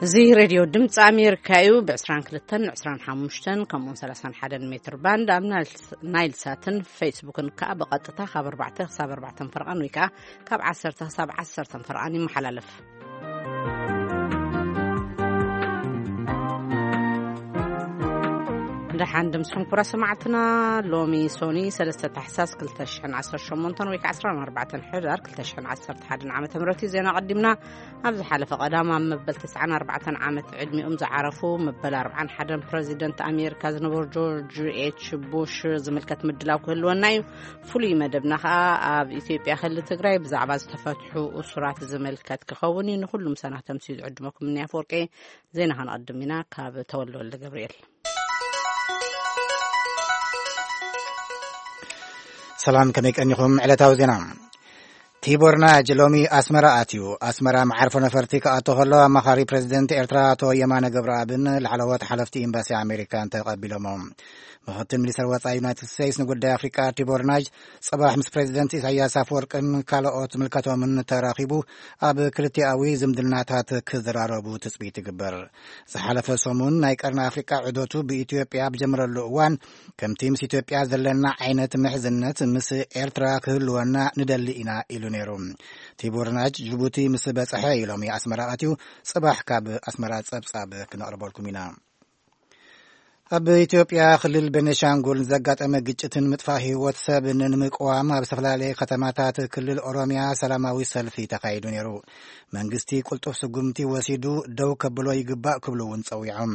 እዚ ሬድዮ ድምፂ ኣሜሪካ እዩ። ብ22፣ 25 ከምኡውን 31 ሜትር ባንድ ኣብ ናይል-፣ ናይል ሳትን ፌስቡክን ከዓ ብቐጥታ ካብ ኣርባዕተ ክሳብ ኣርባዕተ ፈርቓን ወይ ከዓ ካብ ዓሰርተ ክሳብ ዓሰርተ ፈርቓን ይመሓላለፍ። ደሓን ድምስኹም ኩራ ሰማዕትና። ሎሚ ሶኒ ሰለስተ ታሕሳስ ክልተ ሽሕን ዓሰርተ ሸሞንተን ወይ ከዓ ዓሰርተ ኣርባዕተ ሕዳር ክልተ ሽሕን ዓሰርተ ሓደን ዓመተ ምህረት እዩ። ዜና ቀዲምና። ኣብ ዝሓለፈ ቀዳም ኣብ መበል ተስዓን ኣርባዕተን ዓመት ዕድሚኦም ዝዓረፉ መበል ኣርባዓን ሓደን ፕረዚደንት ኣሜሪካ ዝነበሩ ጆርጅ ኤች ቡሽ ዝምልከት ምድላው ክህልወና እዩ። ፍሉይ መደብና ከዓ ኣብ ኢትዮጵያ ክልል ትግራይ ብዛዕባ ዝተፈትሑ እሱራት ዝምልከት ክኸውን እዩ። ንኩሉ ምሳና ተምስዩ ዝዕድመኩም እኒ ኣፈወርቂ። ዜና ከነቐድም ኢና ካብ ተወልደ ወልደ ገብርኤል። ሰላም፣ ከመይ ቀኒኹም? ዕለታዊ ዜና። ቲቦር ናጅ ሎሚ ኣስመራ ኣትዩ። ኣስመራ መዓርፎ ነፈርቲ ክኣቶ ከሎ ኣማኻሪ ፕረዚደንት ኤርትራ ኣቶ የማነ ገብረኣብን ላዕለዎት ሓለፍቲ ኤምባሲ ኣሜሪካን ተቐቢሎሞ። ምኽትል ሚኒስትር ወጻኢ ዩናይትድ ስቴትስ ንጉዳይ ኣፍሪቃ ቲቦር ናጅ ጽባሕ ምስ ፕረዚደንት ኢሳያስ ኣፈወርቅን ካልኦት ምልከቶምን ተራኺቡ ኣብ ክልቲኣዊ ዝምድናታት ክዘራረቡ ትጽቢት ይግበር። ዝሓለፈ ሰሙን ናይ ቀርኒ ኣፍሪቃ ዑደቱ ብኢትዮጵያ ብጀመረሉ እዋን፣ ከምቲ ምስ ኢትዮጵያ ዘለና ዓይነት ምሕዝነት ምስ ኤርትራ ክህልወና ንደሊ ኢና ኢሉ ነይሩ። ቲቦር ናጅ ጅቡቲ ምስ በጽሐ እዩ ሎሚ ኣስመራ ኣትዩ። ጽባሕ ካብ ኣስመራ ጸብጻብ ክነቕርበልኩም ኢና። ኣብ ኢትዮጵያ ክልል ቤኒሻንጉል ዘጋጠመ ግጭትን ምጥፋእ ህይወት ሰብን ንምቅዋም ኣብ ዝተፈላለየ ከተማታት ክልል ኦሮሚያ ሰላማዊ ሰልፊ ተኻይዱ ነይሩ። መንግስቲ ቅልጡፍ ስጉምቲ ወሲዱ ደው ከብሎ ይግባእ ክብሉ እውን ጸዊዖም።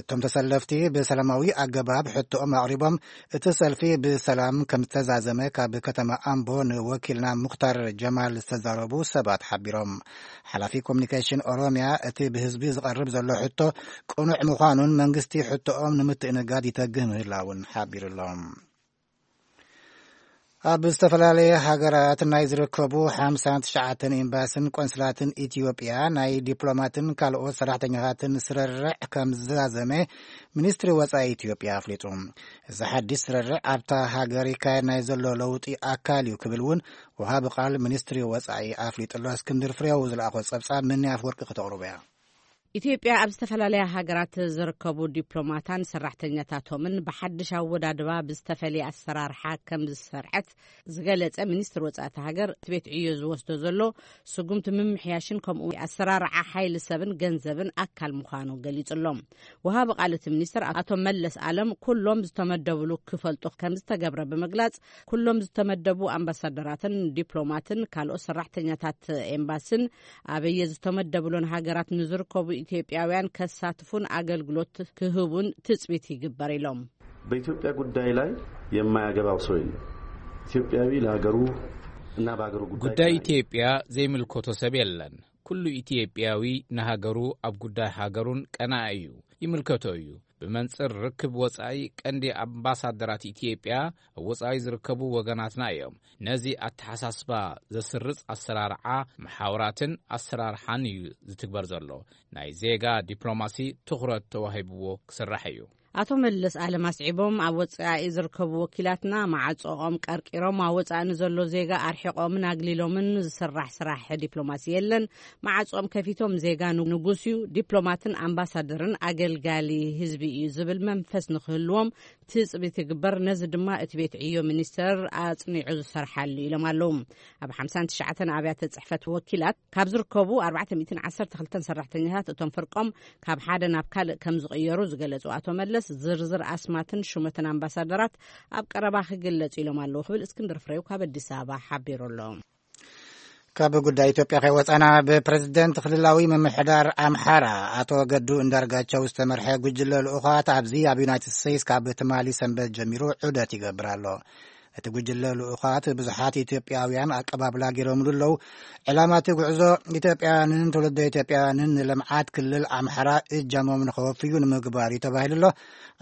እቶም ተሰለፍቲ ብሰላማዊ ኣገባብ ሕቶኦም ኣቕሪቦም፣ እቲ ሰልፊ ብሰላም ከም ዝተዛዘመ ካብ ከተማ ኣምቦ ንወኪልና ሙኽታር ጀማል ዝተዛረቡ ሰባት ሓቢሮም። ሓላፊ ኮሚኒኬሽን ኦሮሚያ እቲ ብህዝቢ ዝቐርብ ዘሎ ሕቶ ቅኑዕ ምዃኑን መንግስቲ ሕቶኦም ንምትእንጋድ ይተግህ ምህላውን ሓቢሩሎም። ኣብ ዝተፈላለየ ሃገራት ናይ ዝርከቡ ሓምሳን ትሽዓተን ኤምባስን ቆንስላትን ኢትዮጵያ ናይ ዲፕሎማትን ካልኦት ሰራሕተኛታትን ስርርዕ ከም ዝዛዘመ ሚኒስትሪ ወጻኢ ኢትዮጵያ ኣፍሊጡ። እዚ ሓድሽ ስርርዕ ኣብታ ሃገር ይካየድ ናይ ዘሎ ለውጢ ኣካል እዩ ክብል እውን ወሃቢ ቃል ሚኒስትሪ ወጻኢ ኣፍሊጡ ኣሎ። እስክንድር ፍሬው ዝለኣኾ ጸብጻብ ምኒ ኣፍወርቂ ክተቕርቦ እያ። ኢትዮጵያ ኣብ ዝተፈላለያ ሃገራት ዝርከቡ ዲፕሎማታን ሰራሕተኛታቶምን ብሓድሽ ኣወዳድባ ብዝተፈለየ ኣሰራርሓ ከም ዝሰርዐት ዝገለጸ ሚኒስትር ወጻኢ እታ ሃገር፣ እቲ ቤት ዕዮ ዝወስዶ ዘሎ ስጉምቲ ምምሕያሽን ከምኡ ኣሰራርዓ ሓይሊ ሰብን ገንዘብን ኣካል ምዃኑ ገሊጹ ኣሎ። ወሃቢ ቃል እቲ ሚኒስትር ኣቶ መለስ ኣለም፣ ኩሎም ዝተመደብሉ ክፈልጡ ከም ዝተገብረ ብምግላጽ፣ ኩሎም ዝተመደቡ ኣምባሳደራትን ዲፕሎማትን ካልኦት ሰራሕተኛታት ኤምባስን ኣበየ ዝተመደብሎን ሃገራት ንዝርከቡ ኢትዮጵያውያን ከሳትፉን ኣገልግሎት ክህቡን ትጽቢት ይግበር ኢሎም። በኢትዮጵያ ጉዳይ ላይ የማያገባው ሰው የለም። ኢትዮጵያዊ ለሀገሩ እና በሀገሩ ጉዳይ ጉዳይ ቀናኢ። ኢትዮጵያ ዘይምልከቶ ሰብ የለን። ኩሉ ኢትዮጵያዊ ንሃገሩ ኣብ ጉዳይ ሃገሩን ቀናኢ እዩ፣ ይምልከቶ እዩ። ብመንጽር ርክብ ወጻኢ ቀንዲ ኣምባሳደራት ኢትዮጵያ ኣብ ወጻኢ ዝርከቡ ወገናትና እዮም። ነዚ ኣተሓሳስባ ዘስርጽ ኣሰራርዓ መሓውራትን ኣሰራርሓን እዩ ዝትግበር ዘሎ። ናይ ዜጋ ዲፕሎማሲ ትኹረት ተዋሂብዎ ክስራሕ እዩ። ኣቶ መለስ ኣለም ኣስዒቦም፣ ኣብ ወጻኢ ዝርከቡ ወኪላትና ማዕጾኦም ቀርቂሮም ኣብ ወጻኢ ንዘሎ ዜጋ ኣርሒቖምን ኣግሊሎምን ዝስራሕ ስራሕ ዲፕሎማሲ የለን። ማዕጾኦም ከፊቶም ዜጋ ንጉስ እዩ፣ ዲፕሎማትን ኣምባሳደርን ኣገልጋሊ ህዝቢ እዩ ዝብል መንፈስ ንክህልዎም ትጽቢት ይግበር። ነዚ ድማ እቲ ቤት ዕዮ ሚኒስተር ኣጽኒዑ ዝሰርሓሉ ኢሎም ኣለዉ። ኣብ ሓምሳን ትሽዓተን ኣብያተ ጽሕፈት ወኪላት ካብ ዝርከቡ ኣርባዕተ ሚእትን ዓሰርተ ክልተን ሰራሕተኛታት እቶም ፍርቆም ካብ ሓደ ናብ ካልእ ከም ዝቕየሩ ዝገለጹ ኣቶ መለስ፣ ዝርዝር ኣስማትን ሹመትን ኣምባሳደራት ኣብ ቀረባ ክግለጽ ኢሎም ኣለዉ ክብል እስክንድር ፍሬው ካብ ኣዲስ ኣበባ ሓቢሩ ኣሎ። ካብ ጉዳይ ኢትዮጵያ ከይወጻና፣ ብፕረዚደንት ክልላዊ ምምሕዳር ኣምሓራ ኣቶ ገዱ እንዳርጋቸው ዝተመርሐ ጉጅለ ልኡኻት ኣብዚ ኣብ ዩናይትድ ስቴትስ ካብ ትማሊ ሰንበት ጀሚሩ ዑደት ይገብር ኣሎ። እቲ ጉጅለ ልኡኻት ብዙሓት ኢትዮጵያውያን ኣቀባብላ ገይሮምሉ ኣለዉ። ዕላማ እቲ ጉዕዞ፣ ኢትዮጵያውያንን ትውልደ ኢትዮጵያውያንን ንልምዓት ክልል ኣምሓራ እጃሞም ንኸወፍዩ ንምግባር እዩ ተባሂሉ ኣሎ።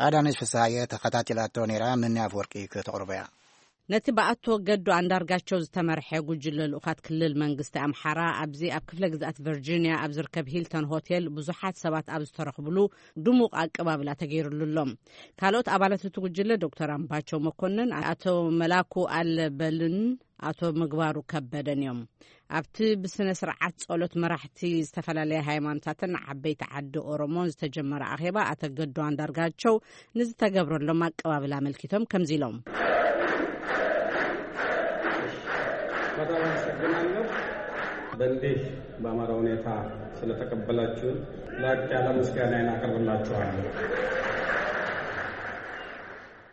ኣዳነች ፍስሃየ ተኸታቲላቶ ነይራ፣ ምኒ ኣፍወርቂ ከተቕርቦ እያ። ነቲ ብኣቶ ገዱ ኣንዳርጋቸው ዝተመርሐ ጉጅለ ልኡኻት ክልል መንግስቲ ኣምሓራ ኣብዚ ኣብ ክፍለ ግዝኣት ቨርጂኒያ ኣብ ዝርከብ ሂልተን ሆቴል ብዙሓት ሰባት ኣብ ዝተረኽብሉ ድሙቕ ኣቀባብላ ተገይሩሉ ኣሎ። ካልኦት ኣባላት እቲ ጉጅለ ዶክተር ኣምባቸው መኮንን፣ ኣቶ መላኩ ኣለበልን ኣቶ ምግባሩ ከበደን እዮም። ኣብቲ ብስነ ስርዓት ጸሎት መራሕቲ ዝተፈላለያ ሃይማኖታትን ዓበይቲ ዓዲ ኦሮሞን ዝተጀመረ ኣኼባ ኣቶ ገዱ ኣንዳርጋቸው ንዝተገብረሎም ኣቀባብል ኣመልኪቶም ከምዚ ኢሎም። በጣም አመሰግናለሁ። በእንዲህ በአማረ ሁኔታ ስለተቀበላችሁን ላቅ ያለ ምስጋናዬን አቀርብላችኋለሁ።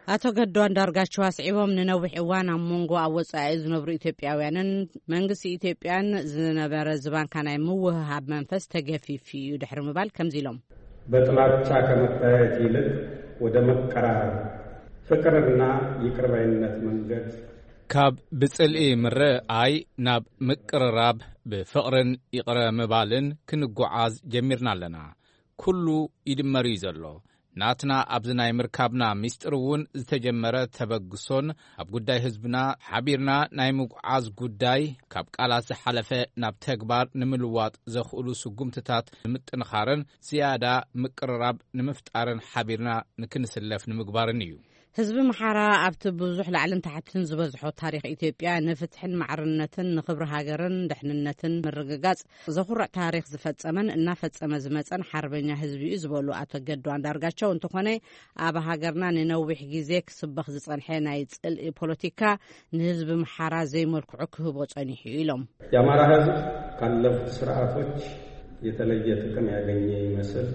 ኣቶ ገዱ ኣንዳርጋቸው ኣስዒቦም፣ ንነዊሕ እዋን ኣብ መንጎ ኣብ ወጻኢ ዝነብሩ ኢትዮጵያውያንን መንግስቲ ኢትዮጵያን ዝነበረ ዝባንካ ናይ ምውህሃብ መንፈስ ተገፊፉ እዩ ድሕሪ ምባል ከምዚ ኢሎም። በጥላቻ ከመታየት ይልቅ ወደ መቀራረብ፣ ፍቅርና ይቅር ባይነት መንገድ ካብ ብጽልኢ ምርኣይ ናብ ምቅርራብ ብፍቕርን ይቕረ ምባልን ክንጓዓዝ ጀሚርና ኣለና። ኩሉ ይድመር እዩ ዘሎ። ናትና ኣብዚ ናይ ምርካብና ሚስጥር እውን ዝተጀመረ ተበግሶን ኣብ ጉዳይ ህዝብና ሓቢርና ናይ ምጉዓዝ ጉዳይ ካብ ቃላት ዝሓለፈ ናብ ተግባር ንምልዋጥ ዘኽእሉ ስጉምትታት ንምጥንኻርን ዝያዳ ምቅርራብ ንምፍጣርን ሓቢርና ንክንስለፍ ንምግባርን እዩ። ህዝቢ ምሓራ ኣብቲ ብዙሕ ላዕልን ታሕትን ዝበዝሖ ታሪኽ ኢትዮጵያ ንፍትሕን ማዕርነትን ንኽብሪ ሃገርን ድሕንነትን ምርግጋጽ ዘኹርዕ ታሪኽ ዝፈጸመን እናፈጸመ ዝመጸን ሓርበኛ ህዝቢ እዩ ዝበሉ ኣቶ ገዱ ኣንዳርጋቸው፣ እንተኾነ ኣብ ሃገርና ንነዊሕ ግዜ ክስበኽ ዝጸንሐ ናይ ጽልኢ ፖለቲካ ንህዝቢ ምሓራ ዘይመልክዑ ክህቦ ጸኒሑ እዩ ኢሎም። የአማራ ህዝብ ካለፉት ስርዓቶች የተለየ ጥቅም ያገኘ ይመስል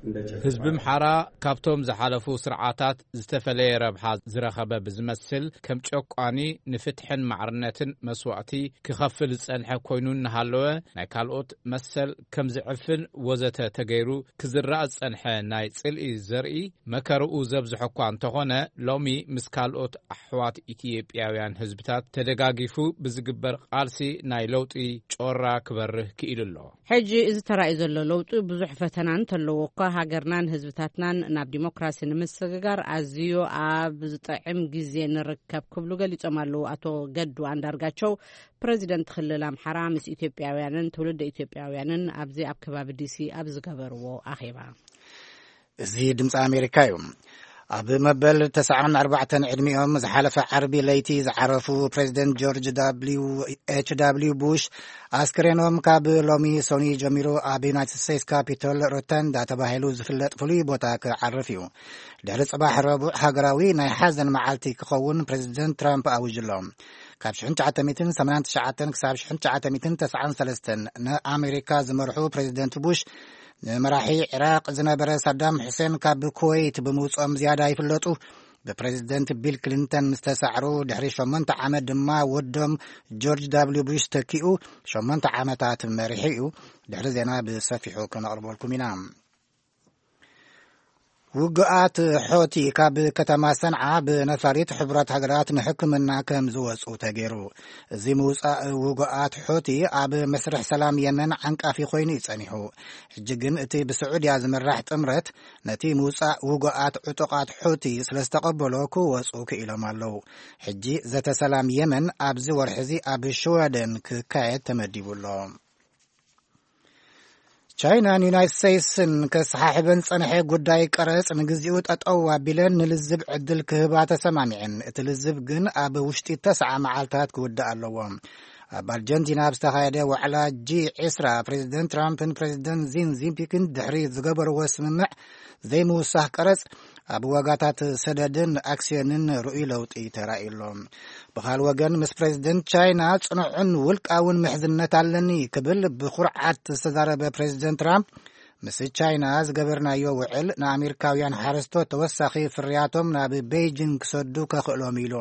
እንደ ጭፍራ ህዝቢ ምሓራ ካብቶም ዝሓለፉ ስርዓታት ዝተፈለየ ረብሓ ዝረኸበ ብዝመስል ከም ጨቋኒ ንፍትሕን ማዕርነትን መስዋእቲ ክኸፍል ዝጸንሐ ኮይኑ እናሃለወ ናይ ካልኦት መሰል ከም ዝዕፍን ወዘተ ተገይሩ ክዝራእ ዝጸንሐ ናይ ጽልኢ ዘርኢ መከርኡ ዘብዝሖ እኳ እንተኾነ ሎሚ ምስ ካልኦት ኣሕዋት ኢትዮጵያውያን ህዝብታት ተደጋጊፉ ብዝግበር ቃልሲ ናይ ለውጢ ጮራ ክበርህ ክኢሉ ኣሎ። ሕጂ እዚ ተራእዩ ዘሎ ለውጢ ብዙሕ ፈተና እንተለዎ እኳ ሃገርናን ህዝብታትናን ናብ ዲሞክራሲ ንምስግጋር ኣዝዩ ኣብ ዝጥዕም ግዜ ንርከብ ክብሉ ገሊጾም ኣለዉ ኣቶ ገዱ ኣንዳርጋቸው ፕረዚደንት ክልል ኣምሓራ ምስ ኢትዮጵያውያንን ትውልደ ኢትዮጵያውያንን ኣብዚ ኣብ ከባቢ ዲሲ ኣብ ዝገበርዎ ኣኼባ። እዚ ድምፂ ኣሜሪካ እዩ። ኣብ መበል ተስዓን ኣርባዕተን ዕድሚኦም ዝሓለፈ ዓርቢ ለይቲ ዝዓረፉ ፕሬዚደንት ጆርጅ ደብሊው ኤች ደብሊው ቡሽ ኣስክሬኖም ካብ ሎሚ ሰኑይ ጀሚሩ ኣብ ዩናይትድ ስቴትስ ካፒቶል ሮተንዳ ተባሂሉ ዝፍለጥ ፍሉይ ቦታ ክዓርፍ እዩ። ድሕሪ ፅባሕ ረቡዕ ሃገራዊ ናይ ሓዘን መዓልቲ ክኸውን ፕሬዚደንት ትራምፕ ኣዊጁ ኣሎ። ካብ ሽሕን ትሽዓተ ሚእትን ሰማንያን ትሽዓተን ክሳብ ሽሕን ትሽዓተ ሚእትን ተስዓን ሰለስተን ንኣሜሪካ ዝመርሑ ፕሬዚደንት ቡሽ ንመራሒ ዒራቕ ዝነበረ ሳዳም ሑሴን ካብ ኩወይት ብምውፅኦም ዝያዳ ይፍለጡ። ብፕሬዚደንት ቢል ክሊንተን ምስ ተሳዕሩ ድሕሪ ሸሞንተ ዓመት ድማ ወዶም ጆርጅ ዳብሊው ቡሽ ተኪኡ ሸሞንተ ዓመታት መሪሑ እዩ። ድሕሪ ዜና ብሰፊሑ ክነቕርበልኩም ኢና። ውግኣት ሖቲ ካብ ከተማ ሰንዓ ብነፋሪት ሕቡራት ሃገራት ንሕክምና ከም ዝወፁ ተገይሩ። እዚ ምውፃእ ውግኣት ሖቲ ኣብ መስርሕ ሰላም የመን ዓንቃፊ ኮይኑ እዩ ጸኒሑ። ሕጂ ግን እቲ ብስዑድያ ዝምራሕ ጥምረት ነቲ ምውፃእ ውግኣት ዕጡቓት ሑቲ ስለ ዝተቐበሎ ክወፁ ክኢሎም ኣለዉ። ሕጂ ዘተ ሰላም የመን ኣብዚ ወርሒ እዚ ኣብ ሽወደን ክካየድ ተመዲቡ ኣሎ። ቻይናን ዩናይትድ ስቴትስን ከሰሓሕበን ዝጸንሐ ጉዳይ ቀረጽ ንግዚኡ ጠጠው ኣቢለን ንልዝብ ዕድል ክህባ ተሰማሚዐን። እቲ ልዝብ ግን ኣብ ውሽጢ ተስዓ መዓልታት ክውዳእ ኣለዎ። ኣብ ኣርጀንቲና ኣብ ዝተኻየደ ዋዕላ ጂ ዕስራ ፕሬዚደንት ትራምፕን ፕሬዚደንት ዚን ዚንፒንግን ድሕሪ ዝገበርዎ ስምምዕ ዘይምውሳኽ ቀረጽ ኣብ ዋጋታት ሰደድን ኣክስዮንን ርኡይ ለውጢ ተራእዩ ኣሎ። ብኻል ወገን ምስ ፕሬዚደንት ቻይና ጽኑዕን ውልቃውን ምሕዝነት ኣለኒ ክብል ብኩርዓት ዝተዛረበ ፕሬዚደንት ትራምፕ ምስ ቻይና ዝገበርናዮ ውዕል ንኣሜሪካውያን ሓረስቶት ተወሳኺ ፍርያቶም ናብ ቤይጂንግ ክሰዱ ከኽእሎም ኢሉ።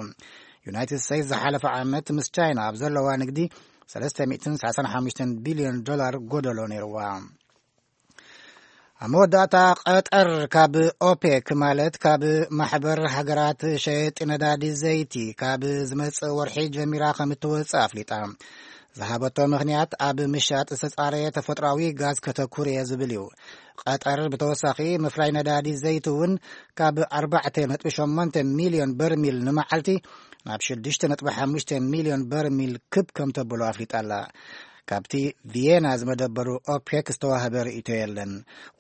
ዩናይትድ ስቴትስ ዝሓለፈ ዓመት ምስ ቻይና ኣብ ዘለዋ ንግዲ ሰለስተ ሚእትን ሰላሳን ሓሙሽተን ቢልዮን ዶላር ጎደሎ ነይርዋ። ኣብ መወዳእታ ቀጠር ካብ ኦፔክ ማለት ካብ ማሕበር ሃገራት ሸየጢ ነዳዲ ዘይቲ ካብ ዝመጽእ ወርሒ ጀሚራ ከም እትወጽእ ኣፍሊጣ። ዝሃበቶ ምኽንያት ኣብ ምሻጥ ዝተጻረየ ተፈጥሮኣዊ ጋዝ ከተኩር እየ ዝብል እዩ። ቀጠር ብተወሳኺ ምፍላይ ነዳዲ ዘይቲ እውን ካብ ኣርባዕተ ነጥቢ ሸሞንተ ሚልዮን በርሚል ንመዓልቲ ናብ ሽዱሽተ ነጥቢ ሓሙሽተ ሚልዮን በርሚል ክብ ከም ተብሎ ኣፍሊጣ ኣላ። ካብቲ ቪየና ዝመደበሩ ኦፔክ ዝተዋህበ ርእይቶ የለን።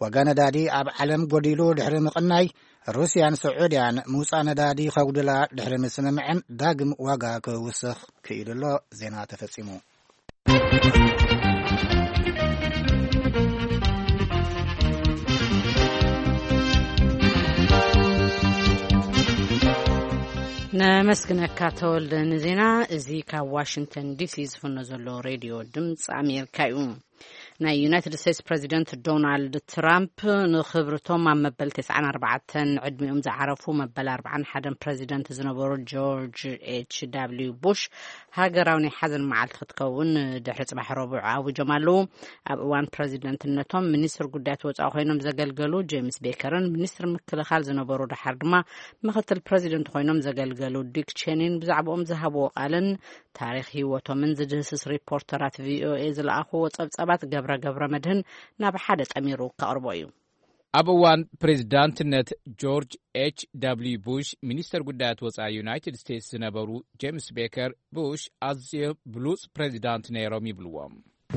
ዋጋ ነዳዲ ኣብ ዓለም ጎዲሉ ድሕሪ ምቕናይ፣ ሩስያን ስዑድያን ምውጻእ ነዳዲ ከጉድላ ድሕሪ ምስምምዐን ዳግም ዋጋ ክውስኽ ክኢሉ ኣሎ። ዜና ተፈጺሙ። ነመስግነካ ተወልደ ንዜና። እዚ ካብ ዋሽንግተን ዲሲ ዝፍኖ ዘሎ ሬድዮ ድምፂ ኣሜሪካ እዩ። ናይ ዩናይትድ ስቴትስ ፕሬዚደንት ዶናልድ ትራምፕ ንክብርቶም ኣብ መበል ተስዓን ኣርባዕተን ዕድሚኦም ዝዓረፉ መበል ኣርባዓን ሓደን ፕሬዚደንት ዝነበሩ ጆርጅ ኤች ዳብሊው ቡሽ ሃገራዊ ናይ ሓዘን መዓልቲ ክትከውን ድሕሪ ጽባሕ ረቡዕ ኣዊጆም ኣለዉ። ኣብ እዋን ፕሬዚደንትነቶም ሚኒስትር ጉዳያት ወጻኢ ኮይኖም ዘገልገሉ ጄምስ ቤከርን ሚኒስትር ምክልኻል ዝነበሩ፣ ደሓር ድማ ምክትል ፕሬዚደንት ኮይኖም ዘገልገሉ ዲክ ቼኒን ብዛዕባኦም ዝሃብዎ ቃልን ታሪኽ ህይወቶምን ዝድህስስ ሪፖርተራት ቪኦኤ ዝለኣኽዎ ጸብጻባት ገብረ ገብረ መድህን ናብ ሓደ ጠሚሩ ከቕርቦ እዩ። ኣብ እዋን ፕሬዚዳንትነት ጆርጅ ኤች ደብልዩ ቡሽ፣ ሚኒስተር ጉዳያት ወጻኢ ዩናይትድ ስቴትስ ዝነበሩ ጄምስ ቤከር፣ ቡሽ ኣዝዮም ብሉጽ ፕሬዚዳንት ነይሮም ይብልዎም።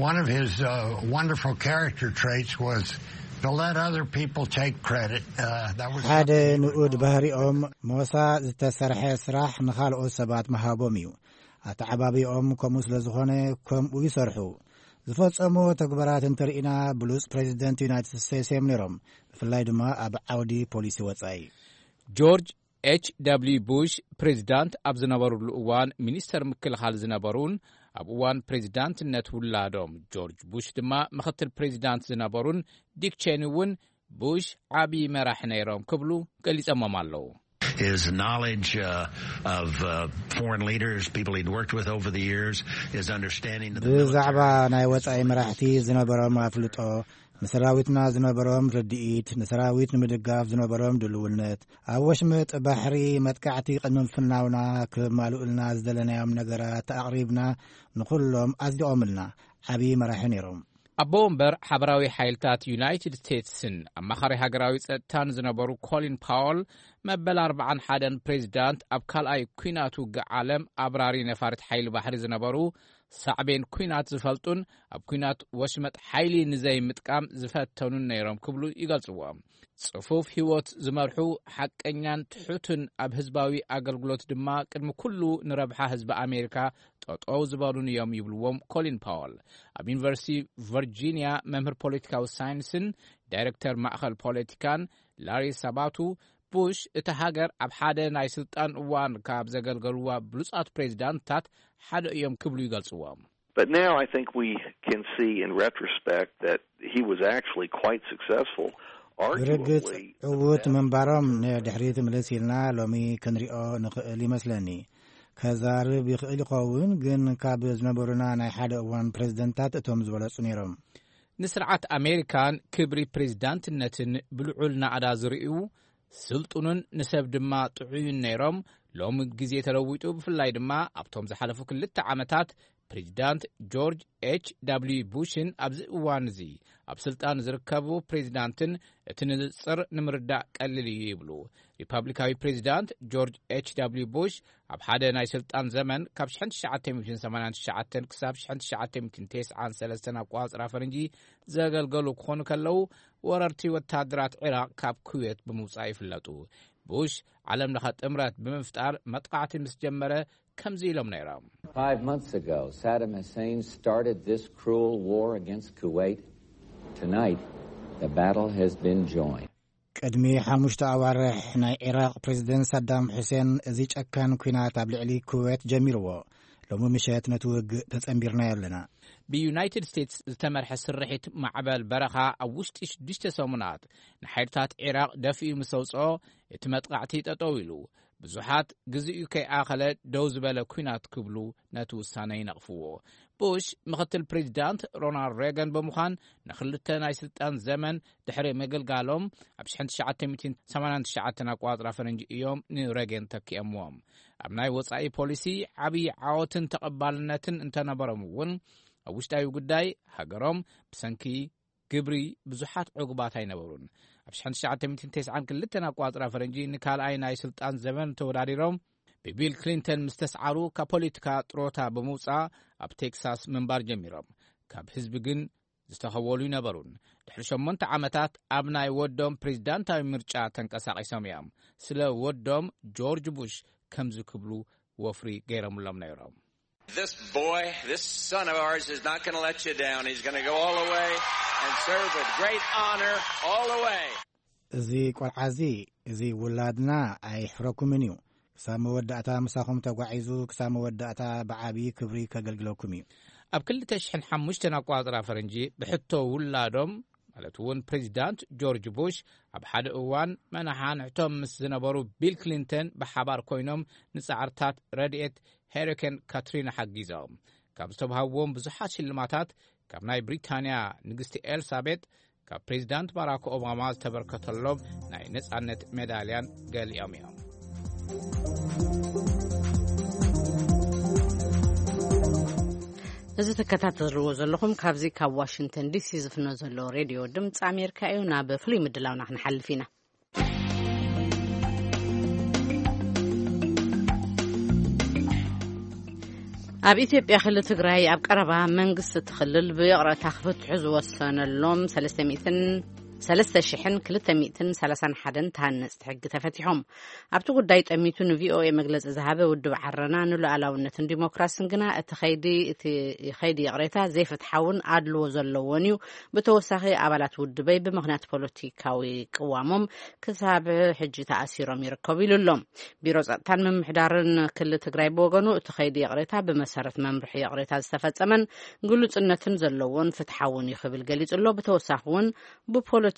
One of his uh, wonderful character traits was to let other people take credit. Uh, that was ሓደ ንኡድ ባህሪኦም፣ ሞሳ ዝተሰርሐ ስራሕ ንኻልኦት ሰባት ምሃቦም እዩ። ኣተዓባቢኦም ከምኡ ስለ ዝኾነ፣ ከምኡ ይሰርሑ። ዝፈጸሙ ተግባራት እንተርኢና፣ ብሉጽ ፕሬዚደንት ዩናይትድ ስቴትስ እዮም ነይሮም፣ ብፍላይ ድማ ኣብ ዓውዲ ፖሊሲ ወጻኢ። ጆርጅ ኤች ደብልዩ ቡሽ ፕሬዚዳንት ኣብ ዝነበሩሉ እዋን፣ ሚኒስተር ምክልኻል ዝነበሩን ኣብ እዋን ፕሬዚዳንትነት ውላዶም ጆርጅ ቡሽ ድማ ምኽትል ፕሬዚዳንት ዝነበሩን ዲክ ቼኒ እውን፣ ቡሽ ዓቢ መራሕ ነይሮም ክብሉ ገሊጸሞም ኣለዉ። His knowledge uh, of uh, foreign leaders, people he'd worked with over the years, his understanding of the ብዛዕባ military ናይ ወጻኢ መራሕቲ ዝነበሮም ኣፍልጦ፣ ንሰራዊትና ዝነበሮም ርድኢት፣ ንሰራዊት ንምድጋፍ ዝነበሮም ድልውነት፣ ኣብ ወሽመጥ ባሕሪ መጥቃዕቲ ቅድሚ ምፍናውና ክማልኡልና ዝደለናዮም ነገራት ኣቕሪብና፣ ንኹሎም ኣጽዲቖምልና። ዓቢ መራሒ ነይሮም። ኣቦ ወንበር ሓበራዊ ሓይልታት ዩናይትድ ስቴትስን ኣማኻሪ ሃገራዊ ጸጥታን ዝነበሩ ኮሊን ፓወል፣ መበል ኣርባዓን ሓደን ፕሬዚዳንት፣ ኣብ ካልኣይ ኲናት ውግእ ዓለም ኣብራሪ ነፋሪት ሓይሊ ባሕሪ ዝነበሩ፣ ሳዕቤን ኲናት ዝፈልጡን ኣብ ኲናት ወሽመጥ ሓይሊ ንዘይምጥቃም ዝፈተኑን ነይሮም ክብሉ ይገልጽዎ። ጽፉፍ ህይወት ዝመርሑ፣ ሓቀኛን ትሑትን፣ ኣብ ህዝባዊ ኣገልግሎት ድማ ቅድሚ ኩሉ ንረብሓ ህዝቢ ኣሜሪካ ጠጠው ዝበሉን እዮም ይብልዎም ኮሊን ፓወል። ኣብ ዩኒቨርሲቲ ቨርጂኒያ መምህር ፖለቲካዊ ሳይንስን ዳይሬክተር ማእኸል ፖለቲካን ላሪ ሳባቱ፣ ቡሽ እቲ ሃገር ኣብ ሓደ ናይ ስልጣን እዋን ካብ ዘገልገሉዋ ብሉጻት ፕሬዚዳንትታት ሓደ እዮም ክብሉ ይገልጽዎም። But now I think we can see in retrospect that he was actually quite successful, ብርግጽ arguably the ዕዉት best ምንባሮም ንድሕሪት ምልስ ኢልና ሎሚ ክንሪኦ ንኽእል ይመስለኒ። ከዛርብ ይኽእል ይኸውን፣ ግን ካብ ዝነበሩና ናይ ሓደ እዋን ፕሬዚደንታት እቶም ዝበለጹ ነይሮም። ንስርዓት ኣሜሪካን ክብሪ ፕሬዚዳንትነትን ብልዑል ናዕዳ ዝርእዩ፣ ስልጡንን ንሰብ ድማ ጥዑይን ነይሮም። ሎሚ ግዜ ተለዊጡ፣ ብፍላይ ድማ ኣብቶም ዝሓለፉ ክልተ ዓመታት ፕሬዚዳንት ጆርጅ ኤች ደብልዩ ቡሽን ኣብዚ እዋን እዚ ኣብ ስልጣን ዝርከቡ ፕሬዚዳንትን እቲ ንጽር ንምርዳእ ቀሊል እዩ ይብሉ። ሪፐብሊካዊ ፕሬዚዳንት ጆርጅ ኤች ደብልዩ ቡሽ ኣብ ሓደ ናይ ስልጣን ዘመን ካብ ሽሕን ትሽዓተ ሚእትን ሰማንያን ትሽዓተን ክሳብ ሽሕን ትሽዓተ ሚእትን ተስዓን ሰለስተን ኣቆጻጽራ ፈረንጂ ዘገልገሉ ክኾኑ ከለዉ፣ ወረርቲ ወታደራት ዒራቕ ካብ ኩዌት ብምውጻእ ይፍለጡ። ቡሽ ዓለም ለኸ ጥምረት ብምፍጣር መጥቃዕቲ ምስ ጀመረ ከምዚ ኢሎም ነይሮም። Five months ago, Saddam Hussein started this cruel war against Kuwait. Tonight, the battle has been joined. ቅድሚ ሓሙሽተ ኣዋርሕ ናይ ዒራቕ ፕሬዚደንት ሳዳም ሑሴን እዚ ጨካን ኲናት ኣብ ልዕሊ ኩዌት ጀሚርዎ። ሎሚ ምሸት ነቲ ውግእ ተጸንቢርናዮ ኣለና። ብዩናይትድ ስቴትስ ዝተመርሐ ስርሒት ማዕበል በረኻ ኣብ ውሽጢ ሽዱሽተ ሰሙናት ንሓይልታት ዒራቕ ደፊኡ ምስ ኣውጽኦ፣ እቲ መጥቃዕቲ ጠጠው ኢሉ። ብዙሓት ግዜኡ ከይኣኸለ ደው ዝበለ ኲናት ክብሉ ነቲ ውሳነ ይነቕፍዎ። ቡሽ ምኽትል ፕሬዚዳንት ሮናልድ ሬገን ብምዃን ንኽልተ ናይ ስልጣን ዘመን ድሕሪ ምግልጋሎም፣ ኣብ ሽሕን ትሽዓተ ሚእትን ሰማንያን ትሽዓተን ኣቆጻጽራ ፈረንጂ እዮም ንሬገን ተኪኦምዎም። ኣብ ናይ ወጻኢ ፖሊሲ ዓብዪ ዓወትን ተቐባልነትን እንተነበሮም እውን፣ ኣብ ውሽጣዊ ጉዳይ ሃገሮም ብሰንኪ ግብሪ ብዙሓት ዕጉባት ኣይነበሩን። ኣብ ሽሕን ትሽዓተ ሚእትን ተስዓን ክልተን ኣቋጽራ ፈረንጂ ንካልኣይ ናይ ስልጣን ዘመን ተወዳዲሮም ብቢል ክሊንተን ምስ ተስዓሩ፣ ካብ ፖለቲካ ጥሮታ ብምውጻእ ኣብ ቴክሳስ ምንባር ጀሚሮም። ካብ ህዝቢ ግን ዝተኸወሉ ይነበሩን። ድሕሪ ሸሞንተ ዓመታት ኣብ ናይ ወዶም ፕሬዚዳንታዊ ምርጫ ተንቀሳቒሶም እዮም። ስለ ወዶም ጆርጅ ቡሽ ከምዚ ክብሉ ወፍሪ ገይሮምሎም ነይሮም። This boy, this son of ours is not going to let you down. He's going to go all the way and serve with great honor all the way. እዚ ቆልዓ እዚ፣ እዚ ውላድና ኣይሕረኩምን እዩ። ክሳብ መወዳእታ ምሳኹም ተጓዒዙ፣ ክሳብ መወዳእታ ብዓብዪ ክብሪ ከገልግለኩም እዩ። ኣብ ክልተ ሽሕን ሓሙሽተን ኣቋጽራ ፈረንጂ ብሕቶ ውላዶም፣ ማለት እውን ፕሬዚዳንት ጆርጅ ቡሽ፣ ኣብ ሓደ እዋን መናሓንሕቶም ምስ ዝነበሩ ቢል ክሊንተን ብሓባር ኮይኖም ንጻዕርታት ረድኤት ሄሪኬን ካትሪና ሓጊዞም። ካብ ዝተባህዎም ብዙሓት ሽልማታት፣ ካብ ናይ ብሪታንያ ንግስቲ ኤልሳቤጥ፣ ካብ ፕሬዚዳንት ባራክ ኦባማ ዝተበርከተሎም ናይ ነጻነት ሜዳልያን ገሊኦም እዮም። እዚ ትከታተልዎ ዘለኹም ካብዚ ካብ ዋሽንግተን ዲሲ ዝፍኖ ዘሎ ሬድዮ ድምፂ ኣሜሪካ እዩ። ናብ ፍሉይ ምድላውና ክንሓልፍ ኢና። ኣብ ኢትዮጵያ ክልል ትግራይ ኣብ ቀረባ መንግስቲ እቲ ክልል ብይቕረታ ክፍትሑ ዝወሰነሎም ሰለስተ ሚእትን ሰለስተ ሽሕን ክልተ ሚእትን ሰላሳን ሓደን ተሃነፅቲ ሕጊ ተፈቲሖም። ኣብቲ ጉዳይ ጠሚቱ ንቪኦኤ መግለፂ ዝሃበ ውድብ ዓረና ንሉዓላውነትን ዲሞክራስን ግና እቲ ኸይዲ፣ እቲ ኸይዲ ይቕሬታ ዘይፍትሓውን ኣድልዎ ዘለዎን እዩ። ብተወሳኺ ኣባላት ውድበይ ብምኽንያት ፖለቲካዊ ቅዋሞም ክሳብ ሕጂ ተኣሲሮም ይርከቡ ኢሉ ኣሎ። ቢሮ ጸጥታን ምምሕዳርን ክልል ትግራይ ብወገኑ እቲ ኸይዲ ይቕሬታ ብመሰረት መምርሒ ይቕሬታ ዝተፈጸመን ግሉጽነትን ዘለዎን ፍትሓውን እዩ ክብል ገሊጹ ኣሎ። ብተወሳኺ እውን ብፖለቲካዊ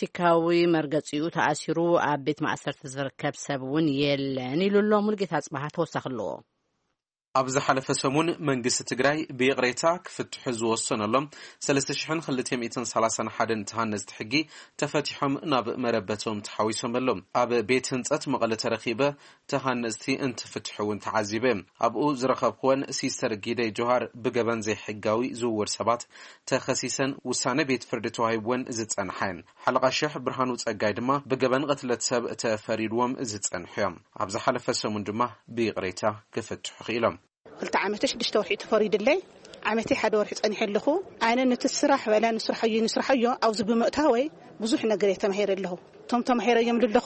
መርገጺኡ ተኣሲሩ ኣብ ቤት ማእሰርቲ ዝርከብ ሰብ እውን የለን ኢሉ ኣሎ። ሙልጌታ ኣጽባሃ ተወሳኺ ኣለዎ። ኣብ ዝሓለፈ ሰሙን መንግስቲ ትግራይ ብይቕሬታ ክፍትሑ ዝወሰነሎም ሰለስተ ሽሕን ክልተ ሚእትን ሰላሳን ሓደን ተሃነፅቲ ሕጊ ተፈቲሖም ናብ መረበቶም ተሓዊሶም ኣለዉ። ኣብ ቤት ህንፀት መቐለ ተረኺበ ተሃነፅቲ እንትፍትሑ እውን ተዓዚበ። ኣብኡ ዝረኸብኩወን ሲስተር ጊደይ ጆሃር ብገበን ዘይሕጋዊ ዝውውር ሰባት ተኸሲሰን ውሳነ ቤት ፍርዲ ተዋሂብወን ዝፀንሓ እየን። ሓለቓ ሽሕ ብርሃኑ ጸጋይ ድማ ብገበን ቅትለት ሰብ ተፈሪድዎም ዝጸንሑ እዮም። ኣብ ዝሓለፈ ሰሙን ድማ ብይቕሬታ ክፍትሑ ክኢሎም። ክልተ ዓመት ሽዱሽተ ወርሒ ተፈሪድለይ፣ ዓመተይ ሓደ ወርሒ ጸኒሐ ኣለኹ። ኣነ ነቲ ስራሕ ዋላ ንስርሐዮ ንስርሐዮ ኣብዚ ብምእታወይ ብዙሕ ነገር እየ ተማሂረ ኣለኹ። እቶም ተማሂረዮም ዘለኹ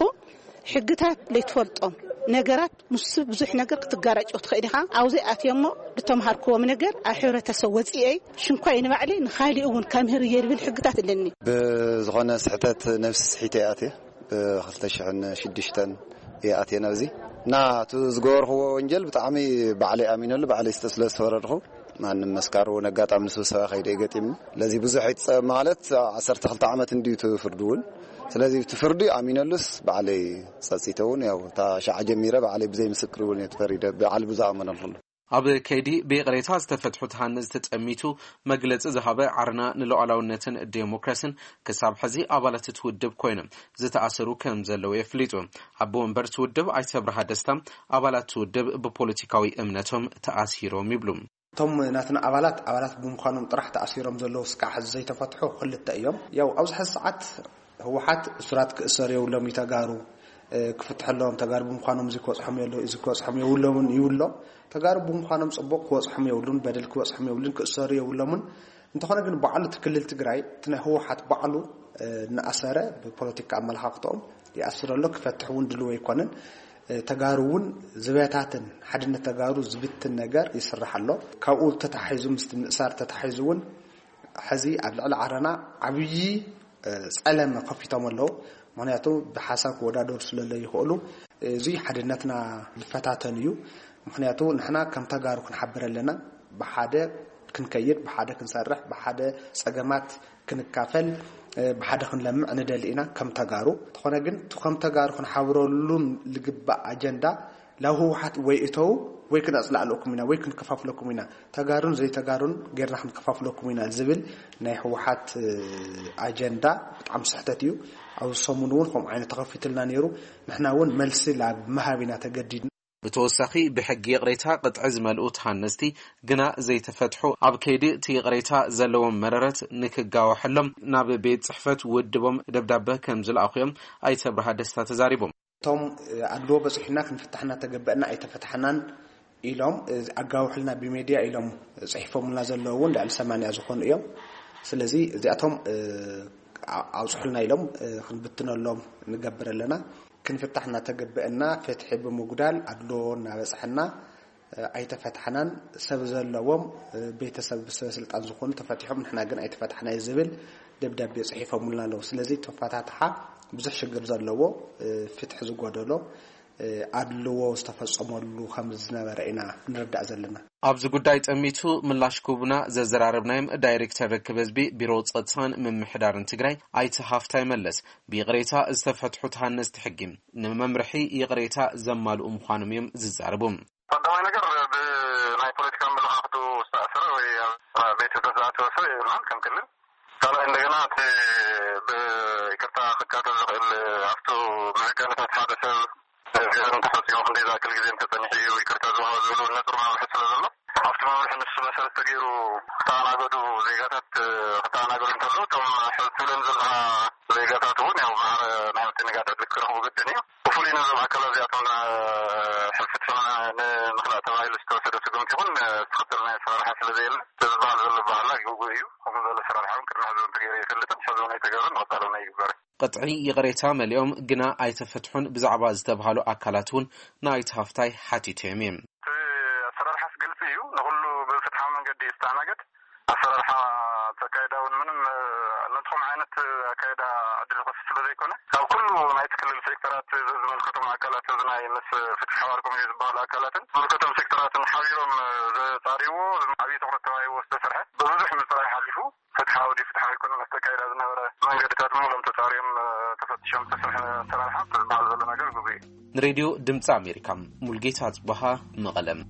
ሕግታት ለይትፈልጦም ነገራት ምስ ብዙሕ ነገር ክትጋራጭ ትኽእል ኢኻ። ኣብዚ ኣትየ እሞ ዝተምሃርክዎም ነገር ኣብ ሕብረተሰብ ወፂኤ ሽንኳይ ንባዕለይ ንኻሊእ እውን ከምህር እየ ዝብል ሕግታት ኣለኒ። ብዝኾነ ስሕተት ነብሲ ስሒተ እየ ኣትየ። ብ ክልተ ሽሕን ሽዱሽተን እየ ኣትየ ናብዚ። እና እቲ ዝገበርክዎ ወንጀል ብጣዕሚ ባዕለይ ኣሚነሉ፣ ባዕለይ ስለ ዝተፈረድኩ፣ ማንም መስካሪ እውን ኣጋጣሚ ንስብሰባ ከይደ ገጢምኒ። ስለዚ ብዙሕ ኣይትጸ-፣ ማለት ዓሰርተ ክልተ ዓመት እንድዩ እቲ ፍርዲ እውን። ስለዚ እቲ ፍርዲ ኣሚነሉስ ባዕለይ ጸጺተ እውን፣ ያው እታ ሻዕ ጀሚረ ባዕለይ ብዘይ ምስክር እውን እየ ተፈሪደ፣ ባዕሊ ብዝኣመነሉ። ኣብ ከይዲ ብይቕሬታ ዝተፈትሑ ተሃነፅቲ ጠሚቱ መግለፂ ዝሃበ ዓረና ንሉዓላውነትን ዴሞክራሲን፣ ክሳብ ሕዚ ኣባላት እቲ ውድብ ኮይኖም ዝተኣሰሩ ከም ዘለዉ የፍሊጡ። ኣቦ ወንበር እቲ ውድብ ኣይተ ኣብርሃ ደስታ፣ ኣባላት እቲ ውድብ ብፖለቲካዊ እምነቶም ተኣሲሮም ይብሉ። እቶም ናትና ኣባላት፣ ኣባላት ብምዃኖም ጥራሕ ተኣሲሮም ዘለዉ እስካዕ ሕዚ ዘይተፈትሑ ክልተ እዮም። ያው ኣብዚ ሕዚ ሰዓት ህወሓት እሱራት ክእሰሩ የብሎም እዩ ተጋሩ፣ እ፣ ክፍትሐሎም ተጋሩ ብምዃኖም እዚ ክበፅሖም የለ-፣ እዚ ክበፅሖም የብሎምን ይብሎ። ተጋሩ ብምዃኖም ፅቡቕ ክበፅሖም የብሉን፣ በደል ክበፅሖም የብሉን፣ ክእሰሩ የብሎምን። እንተኾነ ግን ባዕሉ እቲ ክልል ትግራይ፣ እቲ ናይ ህወሓት ባዕሉ፣ እ፣ እናኣሰረ ብፖለቲካ ኣመለኻኽትኦም ይኣስር ኣሎ፣ ክፈትሕ እውን ድልው ኣይኮነን። እ፣ ተጋሩ እውን ዝበታትን ሓድነት ተጋሩ ዝብትን ነገር ይስራሕ ኣሎ። ካብኡ ተታሒዙ ምስቲ ምእሳር ተታሒዙ እውን ሕዚ ኣብ ልዕሊ ዓረና ዓብዪ፣ እ፣ ጸለመ ከፊቶም ኣለዉ። ምኽንያቱ ብሓሳብ ክወዳደሩ ስለ ዘይኽእሉ፣ እዚ ሓድነትና ዝፈታተን እዩ። ምኽንያቱ ንሕና ከም ተጋሩ ክንሓብር ኣለና። ብሓደ ክንከይድ፣ ብሓደ ክንሰርሕ፣ ብሓደ ጸገማት ክንካፈል፣ እ፣ ብሓደ ክንለምዕ ንደሊ ኢና ከም ተጋሩ። እንተኾነ ግን እቲ ከም ተጋሩ ክንሓብረሉን ልግባእ ኣጀንዳ ላብ ህወሓት ወይ እተው ወይ ክነጽላዕለኩም ኢና ወይ ክንከፋፍለኩም ኢና፣ ተጋሩን ዘይተጋሩን ጌርና ክንከፋፍለኩም ኢና ዝብል ናይ ህወሓት፣ እ፣ ኣጀንዳ ብጣዕሚ ስሕተት እዩ። ኣብዚ ሰሙን እውን ከምኡ ዓይነት ተኸፊትልና ነይሩ። ንሕና እውን መልሲ ላብ ምሃብ ኢና ተገዲድና። ብተወሳኺ ብሕጊ ይቕሬታ ቅጥዒ ዝመልኡ ተሃነስቲ ግና ዘይተፈትሑ ኣብ ከይዲ እቲ ይቕሬታ ዘለዎም መረረት ንክጋወሐሎም ናብ ቤት ጽሕፈት ውድቦም ደብዳበ ከም ዝለኣኹ እዮም ኣይተ ብርሃ ደስታ ተዛሪቦም። እቶም ኣድልዎ በፂሑና ክንፍታሕ እናተገበአና ኣይተፈታሕናን ኢሎም ኣጋውሕልና ብሜድያ ኢሎም ፅሒፎምልና ዘለዉ እውን ልዕሊ ሰማንያ ዝኾኑ እዮም። ስለዚ እዚኣቶም ኣውፅሑልና ኢሎም ክንብትነሎም ንገብር ኣለና። ክንፍታሕ እናተገበአና ፍትሒ ብምጉዳል ኣድልዎ እናበፅሐና ኣይተፈታሕናን። ሰብ ዘለዎም ቤተሰብ ብሰበ ስልጣን ዝኾኑ ተፈቲሖም፣ ንሕና ግን ኣይተፈታሕናይ ዝብል ደብዳቤ ፅሒፎምልና ኣለዉ። ስለዚ ተፈታትሓ ብዙሕ ሽግር ዘለዎ፣ ፍትሒ ዝጎደሎ፣ ኣድልዎ ዝተፈጸመሉ ከም ዝነበረ ኢና ንርዳእ ዘለና። ኣብዚ ጉዳይ ጠሚቱ ምላሽ ክህቡና ዘዘራረብናዮም ዳይሬክተር ርክብ ህዝቢ ቢሮ ጸጥታን ምምሕዳርን ትግራይ ኣይተ ሃፍታይ መለስ፣ ብይቕሬታ ዝተፈትሑ ተሃነፅቲ ሕጊ ንመምርሒ ይቕሬታ ዘማልኡ ምዃኖም እዮም ዝዛረቡ። ቀዳማይ ነገር ብናይ ፖለቲካ ኣመለኻኽቱ ዝተኣሰረ ወይ ኣብ ቤት ህግደፍ ዝኣተወ ሰብ የብልናን ከም ክልል። ካልኣይ እንደገና እቲ ብይቅርታ ክካተት ዝኽእል ኣብቱ መዕቀንታት ሓደ ሰብ ገበን እንተፈፂሙ ክንደይ ዝኣክል ግዜ እንተፀኒሑ እዩ ይቅርታ ዝወሃብ ዝብሉ ነጥብ መምርሒ ስለ ዘሎ ኣብቲ መምርሒ ንሱ መሰረት ተገይሩ ክተኣናገዱ ዜጋታት ክተኣናገዱ እንተለዉ እቶም ሕዚ ትብለን ዘለኻ ዜጋታት እውን ያው ማዕረ ናይ ምትንጋድ ዕድል ክረኽቡ ግድን እዩ። ብፍሉይ ነዞም ኣካላት እዚኣቶም ሕልፊ ትሰምዐ ንምኽላእ ተባሂሉ ዝተወሰደ ስጉምቲ ይኹን ዝኽተል ናይ ኣሰራርሓ ስለ ዘየለ እዚ ዝበሃል ዘሎ ባህላ ግጉእ እዩ። ከምኡ ዝበለ ኣሰራርሓ እውን ቅድሚ ሕዚ እውን ተገይሩ ኣይፈልጥን። ሕዚ እውን ኣይተገብረን፣ ንቐፃሊ እውን ኣይግበርን። ቅጥዒ ይቕሬታ መሊኦም ግና ኣይተፈትሑን ብዛዕባ ዝተብሃሉ ኣካላት እውን ንኣይተ ሃፍታይ ሓቲተዮም እዮም። እቲ ኣሰራርሓስ ግልፂ እዩ። ንኹሉ ብፍትሓዊ መንገዲ እዩ ዝተኣናገድ። ኣሰራርሓ እቲ ኣካይዳ እውን ምንም ነትኹም ዓይነት ኣካይዳ ዕድል ዝኸፍት ስለ ዘይኮነ ካብ ኩሉ ናይቲ ክልል ሴክተራት ዝመልከቶም ኣካላት እዚ ናይ ምስ ፍትሒ ሓባር ኮሚቴ ዝበሃሉ ኣካላትን ዝመልከቶም ሴክተራትን ሓቢሮም ዘጻርይዎ ዓብዪ ትኹረት ተባሂዎ ዝተሰርሐ ብብዙሕ ምፅራይ ሓሊፉ ፍትሓዊ ድዩ ፍትሓዊ ኣይኮነን ኣብቲ ኣካይዳ ዝነበረ መንገድታት ምሎም ተጻርዮም ተፈትሾም ዝተሰርሐ ኣሰራርሓ ዝበሃል ዘሎ ነገር ግጉይ እዩ። ንሬድዮ ድምፂ ኣሜሪካ ሙልጌታ ጽበሃ መቐለም።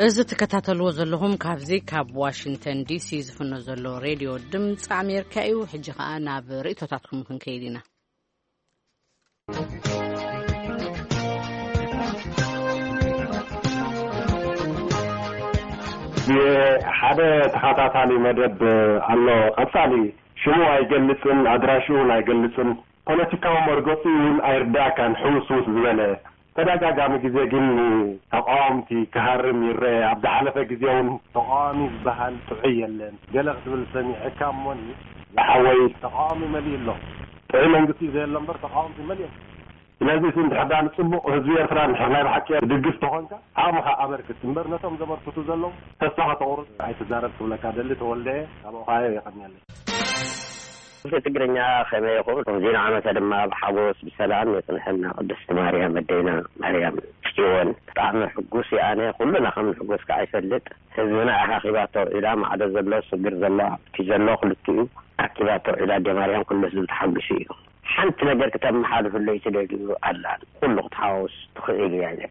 እዚ ትከታተልዎ ዘለኹም ካብዚ ካብ ዋሽንግተን ዲሲ ዝፍኖ ዘሎ ሬድዮ ድምፂ ኣሜሪካ እዩ። ሕጂ ኸኣ ናብ ርእይቶታትኩም ክንከይድ ኢና። ሓደ ተኸታታሊ መደብ ኣሎ። ቀጻሊ ሽሙ ኣይገልጽን ኣድራሽኡን ኣይገልጽን፣ ፖለቲካዊ መርገጺ እውን ኣይርዳእካን ሕውስውስ ዝበለ። ተደጋጋሚ ግዜ ግን ተቃወምቲ ክሃርም ይረአ። ኣብ ዝሓለፈ ግዜ እውን ተቃዋሚ ዝበሃል ጥዑይ የለን ገለ ክትብል ሰሚዐካ እሞኒ ዝሓወይ፣ ተቃዋሚ መሊኡ ኣሎ። ጥዑይ መንግስቲ እዩ ዘየሎ እምበር ተቃወምቲ መሊኦም። ስለዚ እቲ እንድሕር ዳ ንጽቡቕ ህዝቢ ኤርትራ እንድሕር ናይ ብሓቂ ትድግፍ ተኾንካ ዓቕምኻ ኣበርክት እምበር ነቶም ዘበርክቱ ዘለዉ ተስፋ ከተቑርጽ ኣይትዛረብ ክብለካ ደሊ። ተወልደ ካብ ኦሃዮ። የቐንየለይ። እዚ ትግርኛ ከመይ ይኹን ዜና ዓመተ ድማ ብሓጎስ ብሰላም የጽንሐና። ቅድስቲ ማርያም ኣደይና ማርያም ጽዮን ብጣዕሚ ሕጉስ እየ ኣነ። ኩሉና ከም ንሕጎስ ከዓ ይፈልጥ። ህዝብና ኢኻ ኺባቶ ኢላ ማዕዶ ዘሎ ስግር ዘሎ ኣብቲ ዘሎ ክልቲኡ ኣኪባቶ ኢላ ኣደ ማርያም ኩሉ ህዝቢ ተሓጒሱ እዩ። ሓንቲ ነገር ክተመሓልፍለይ ትደልዩ ኣላ ኩሉ ክትሓዋውስ ትኽእል እያ ኢለ።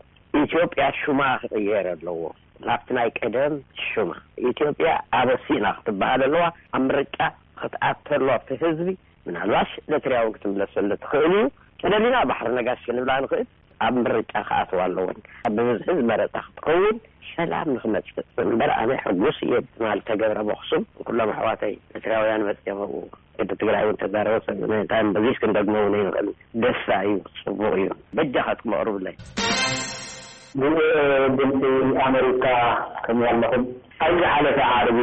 ኢትዮጵያ ሹማ ክቕየር ኣለዎ ናብቲ ናይ ቀደም ሹማ። ኢትዮጵያ ኣበሲና ክትበሃል ኣለዋ። ኣብ ምርጫ ክትኣተሎ ኣብቲ ህዝቢ ምናልባሽ ኤርትራዊ ክትምለሰሉ ትኽእል እዩ። ተደሊና ባሕሪ ነጋሽ ክንብላ ንኽእል። ኣብ ምርጫ ክኣትዋ ኣለወን። ኣብ ብብዝሒ ዝመረጻ ክትከውን ሰላም ንኽመጽእ እምበር ኣነ ሕጉስ እየ ትማል ተገብረ በኽሱም ኩሎም ኣሕዋተይ ኤርትራውያን መጽኦም ኣብኡ ቅዲ ትግራይ እውን ተዛረበ ሰብ እንታይ በዚስ ክንደግሞ እውን ኣይንኽእል። ደስታ እዩ፣ ጽቡቕ እዩ። በጃኻትኩም ኣቕርቡለይ። ድምፂ ኣመሪካ ከምዚ ኣለኹም። ኣብ ዝሓለፈ ዓርቢ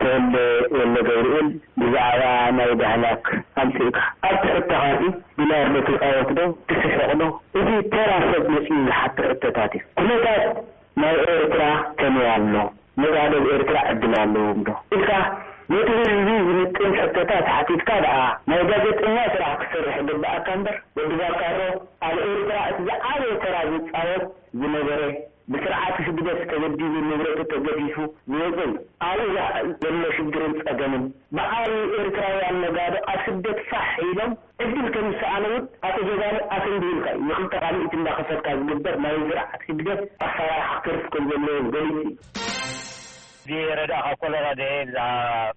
ተወልደ ወልደ ገብርኤል ብዛዕባ ናይ ዳህላክ ኣምፂእካ ኣብቲ ሕቶኻሲ ቢላርዶ ትፃወት ዶ ትስሕቕ ዶ? እዚ ተራ ሰብ መፂኡ ዝሓቶ ሕቶታት እዩ። ኩነታት ናይ ኤርትራ ከመይ ኣሎ? መጋደል ኤርትራ ዕድል ኣለዎም ዶ ኢልካ ነቲ ህዝቢ ዝምጥን ሕቶታት ሓቲትካ ደኣ ናይ ጋዜጠኛ ስራሕ ክትሰርሕ ይግብኣካ እምበር ወዲ ባካሮ ኣብ ኤርትራ እቲ ዝዓበየ ተራ ዝፃወት ዝነበረ ብስርዓት ህግደፍ ተበዲሉ ንብረቱ ተገፊፉ ዝወፀ እዩ። ኣብኡ ዘሎ ሽግርን ፀገምን ብዓብዩ ኤርትራውያን ነጋዶ ኣብ ስደት ፋሕ ኢሎም ዕድል ከም ዝሰኣነ እውን ኣቶ ጀጋኑ ኣሰንዲህልካ እዩ። ንክልተ ካልኢት እንዳኸፈልካ ዝግበር ናይ ስርዓት ህግደፍ ኣሰራርሓ ክተርፍ ከም ዘለዎ ገሊፁ እዩ። ብረዳእኻ ኮሎራዶ እየ። ብዛዕባ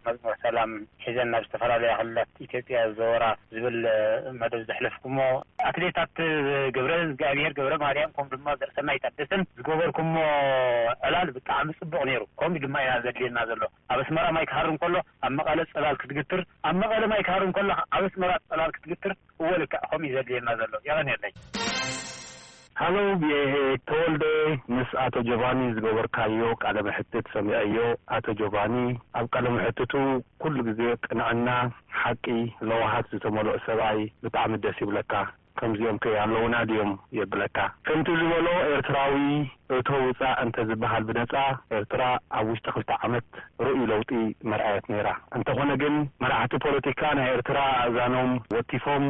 መዝሙር ሰላም ሒዘን ናብ ዝተፈላለያ ክልላት ኢትዮጵያ ዝዘወራ ዝብል መደብ ዘሕለፍኩሞ፣ ኣትሌታት ገብረ እግዚኣብሔር ገብረ ማርያም፣ ከምኡ ድማ ዘርሰናይ ታደሰን ዝገበርኩሞ ዕላል ብጣዕሚ ጽቡቕ ነይሩ። ከምኡ ድማ ኢና ዘድልየና ዘሎ። ኣብ ኣስመራ ማይ ክሃርም ከሎ ኣብ መቐለ ጽላል ክትግትር፣ ኣብ መቐለ ማይ ክሃርም ከሎ ኣብ ኣስመራ ጽላል ክትግትር፣ እወ ልክዕ ከምኡ እዩ ዘድልየና ዘሎ። የቐንየለይ። ሃሎ፣ ተወልደ፣ ምስ ኣቶ ጆቫኒ ዝገበርካዮ ቃለ መሕትት ሰሚዐዮ። ኣቶ ጆቫኒ ኣብ ቃለ መሕትቱ ኩሉ ግዜ ቅንዕና፣ ሓቂ፣ ለዋሃት ዝተመልኦ ሰብኣይ። ብጣዕሚ ደስ ይብለካ። ከምዚኦም ከ ኣለውና ድዮም የብለካ። ከምቲ ዝበሎ ኤርትራዊ እቶ ውጻእ እንተ ዝበሃል ብነጻ፣ ኤርትራ ኣብ ውሽጢ ክልተ ዓመት ርኡይ ለውጢ መርኣየት ነይራ። እንተኾነ ግን መራሕቲ ፖለቲካ ናይ ኤርትራ ኣእዛኖም ወቲፎም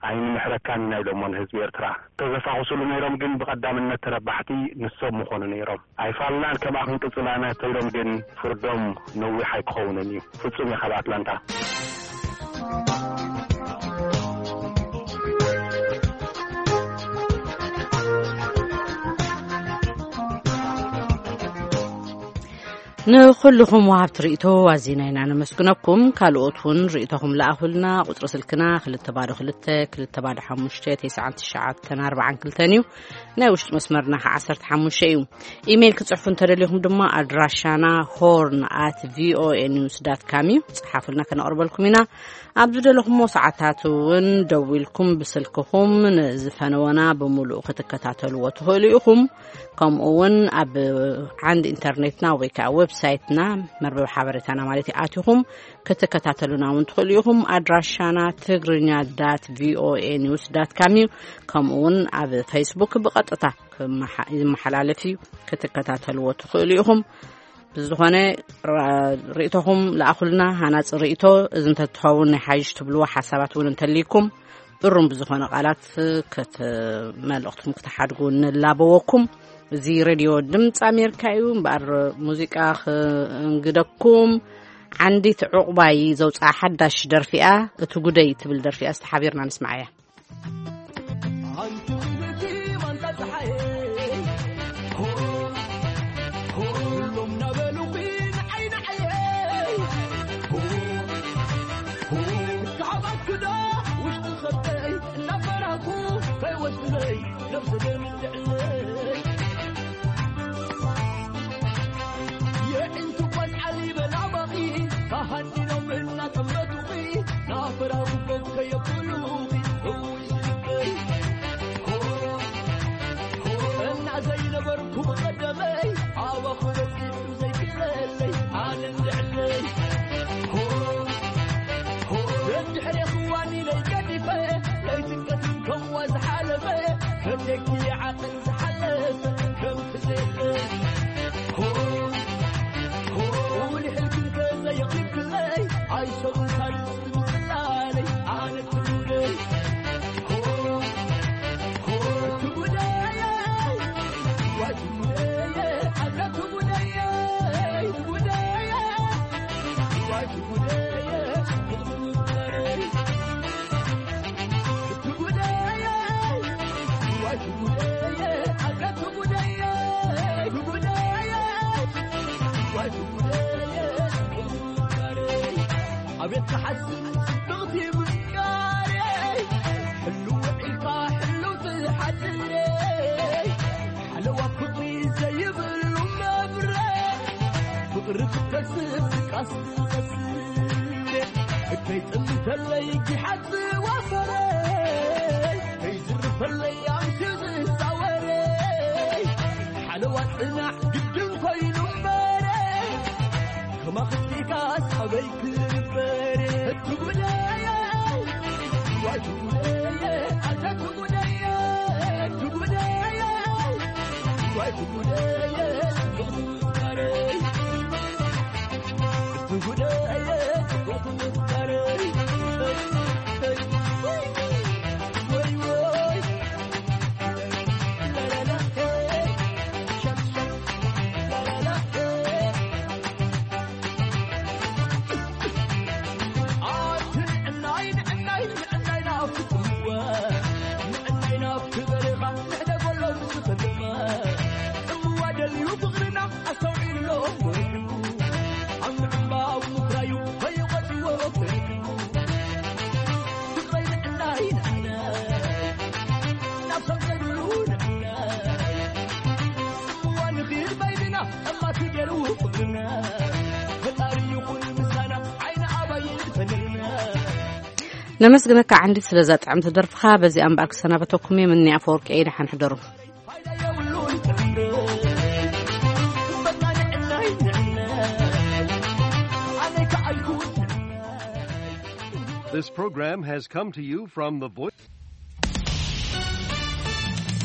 ኣይንምሕረካን ኢና ኢሎሞ ንህዝቢ ኤርትራ። ተዘፋኹስሉ ነይሮም፣ ግን ብቐዳምነት ተረባሕቲ ንሶም ምኾኑ ነይሮም። ኣይፋልናን፣ ከምኣ ክንቅጽል ኢና ተይሎም፣ ግን ፍርዶም ነዊሕ ኣይክኸውንን እዩ። ፍጹም እየ ካብ ኣትላንታ። ንኹልኹም ወሃብቲ ርእይቶ ኣዚና ኢና ነመስግነኩም። ካልኦት እውን ርእይቶኹም ለኣኹልና። ቁጽሪ ስልክና ክልተ ባዶ ክልተ፣ ክልተ ባዶ ሓሙሽተ፣ ተስዓን ትሽዓተን ኣርባዓን ክልተን እዩ። ናይ ውሽጢ መስመርና ከኣ ዓሰርተ ሓሙሽተ እዩ። ኢሜይል ክጽሕፉ እንተደሊኹም ድማ ኣድራሻና ሆርን ኣት ቪኦኤ ኒውስ ዳት ካም እዩ። ጽሓፉልና፣ ከነቕርበልኩም ኢና። ኣብ ዝደለኹሞ ሰዓታት እውን ደዊልኩም ብስልክኹም ንዝፈነወና ብምሉእ ክትከታተልዎ ትኽእሉ ኢኹም። ከምኡ እውን ኣብ ዓንዲ ኢንተርኔትና ወይ ከዓ ዌብሳይትና፣ መርበብ ሓበሬታና ማለት እዩ፣ ኣቲኹም ክትከታተሉና እውን ትኽእሉ ኢኹም። ኣድራሻና ትግርኛ ዳት ቪኦኤ ኒውስ ዳት ካም እዩ። ከምኡ እውን ኣብ ፌስቡክ ብቐጥታ ክመሓ-፣ ይመሓላለፍ እዩ፣ ክትከታተልዎ ትኽእሉ ኢኹም። ብዝኾነ ራ-፣ ርእይቶኹም ለኣኹልና፣ ሃናጺ ርእይቶ። እዚ እንተትኸውን ናይ ሓይሽ ትብልዎ ሓሳባት እውን እንተልይኩም፣ እሩም ብዝኾነ ቃላት ከት-፣ መልእኽትኩም ክትሓድጉ ንላበወኩም። እዚ ሬድዮ ድምፂ ኣሜሪካ እዩ። እምበኣር ሙዚቃ ክእንግደኩም። ዓንዲት ዕቑባይ ዘውፅኣ ሓዳሽ ደርፊኣ እቲ ጉደይ ትብል ደርፊኣ ዝተሓቢርና ንስማዓያ። ኣንቲ ውብቲ ማንታ ፀሓየ፣ ኩሎም ናበሉ ንዓይ ንዓየ። ካብ ኣክዳ ውሽጢ ከብደይ እናፈራኩ ከይወስድለይ ነብሰ ደም ልዕለይ። የዒንቱ ቆልዓ ሊበላ ባኺ ተሃኒኖም እናጠመቱኺ ናፈራኹበት ከየብሉኺ እውሽ ልበይ። እና ዘይነበርኩ ብቐደመይ ኣባኹ በፂሑ ዘይክለለይ ኣነ እንድዕለይ። ደድሕሬ ክዋን ኢለይ ገዲፈ ለይትንቀትን ከምዋ ዝሓለፈ ከብደኪ ዓቕን ዝሓለፈ ከም ትዘይለይ። ውልሕልኪ እንተ ዘየቕሪብክለይ ኣይሰብን ሳልስቲ ምፅላለይ ኣነ ትጉደይ። ትጉደይ። ኣቤት ክሓስብ ጽብቕቲ ምፍቃረይ፣ ሕልው ውዒልካ ሕልው ትሓድረይ፣ ሓለዋ ፍቕሪ ዘይብሉ መብረቕ፣ ፍቕሪ ክትከስብ ድቃስ ትቐስብ፣ ከይጽምተለይ ጊሓት ዝዋፈረይ፣ ከይዝርፈለይ ኣምስዩ ዝሳወረይ፣ ሓለዋ ጽናሕ ግድን ኮይኑ እምበረይ፣ ከማኽስቲካስ ኣበይ ክልበረይ፣ ትጉደየ፣ ዋይ ትጉደየ፣ ኣታ ትጉደየ፣ ትጉደየ፣ ዋይ ትጉደየ፣ ትጉደየ። ነመስግነካ ዓንዲት ስለዛ ጥዕምቲ ደርፍኻ። በዚኣ እምበኣር ክሰናበተኩም እየ። ምኒ ኣፈወርቂ እየ። ደሓን ሕደሩ። This program has come to you from the Voice.